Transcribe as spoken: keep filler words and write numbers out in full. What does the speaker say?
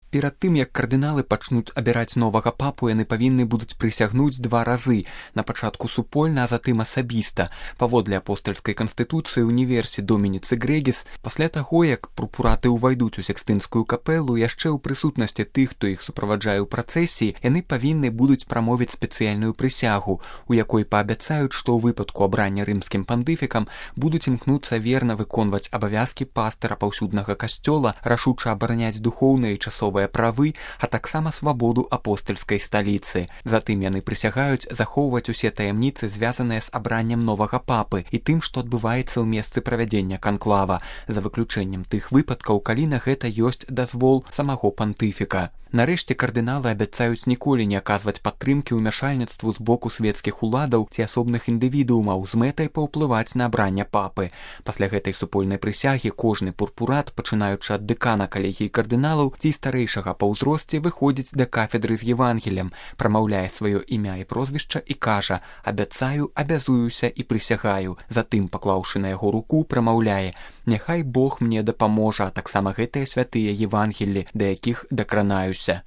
Перад тым, як кардыналы пачнуць абіраць новага папу, яны павінны будуць прысягнуць два разы, на пачатку супольна, а затым асабіста. Паводле апостальскай канстытуцыі універсі Домініцы Грэгіс, пасля таго, як прокураты ўвайдуць у Сікстынскую капэлу, яшчэ ў прысутнасці тых, хто іх суправаджае ў працэсіі, яны павінны будуць прамовіць спецыяльную прысягу, у якой паабяцаюць, што ў выпадку абрання рымскім пандыфікам будуць імкнуцца верна выконваць абавязкі пастыра паўсюднага касцёла, рашуча абараняць духоўныя і часовыя правы, а таксама свабоду апостальскай сталіцы. Затым яны прысягаюць захоўваць усе таямніцы, звязаныя з абраннем новага папы і тым, што адбываецца ў месцы правядзення канклава, за выключэннем тых выпадкаў, калі на гэта ёсць дазвол самого пантыфіка. Нарэшце кардыналы абяцаюць ніколі не аказваць падтрымкі ўмяшальніцтву з боку свецкіх уладаў ці асобных індывідуумаў з мэтай паўплываць на абранне папы. Пасля гэтай супольнай прысягі кожны пурпурат, пачынаючы ад дэкана калегіі кардыналаў ці старэйшага па ўзросце, выходзіць да кафедры з Евангелем, прамаўляе сваё імя і прозвішча і кажа: «Абяцаю, абязуюся і прысягаю». Затым, паклаўшы на яго руку, прамаўляе: «Няхай Бог мне дапаможа, а таксама гэтыя святыя Евангелі, да якіх дакранаюся».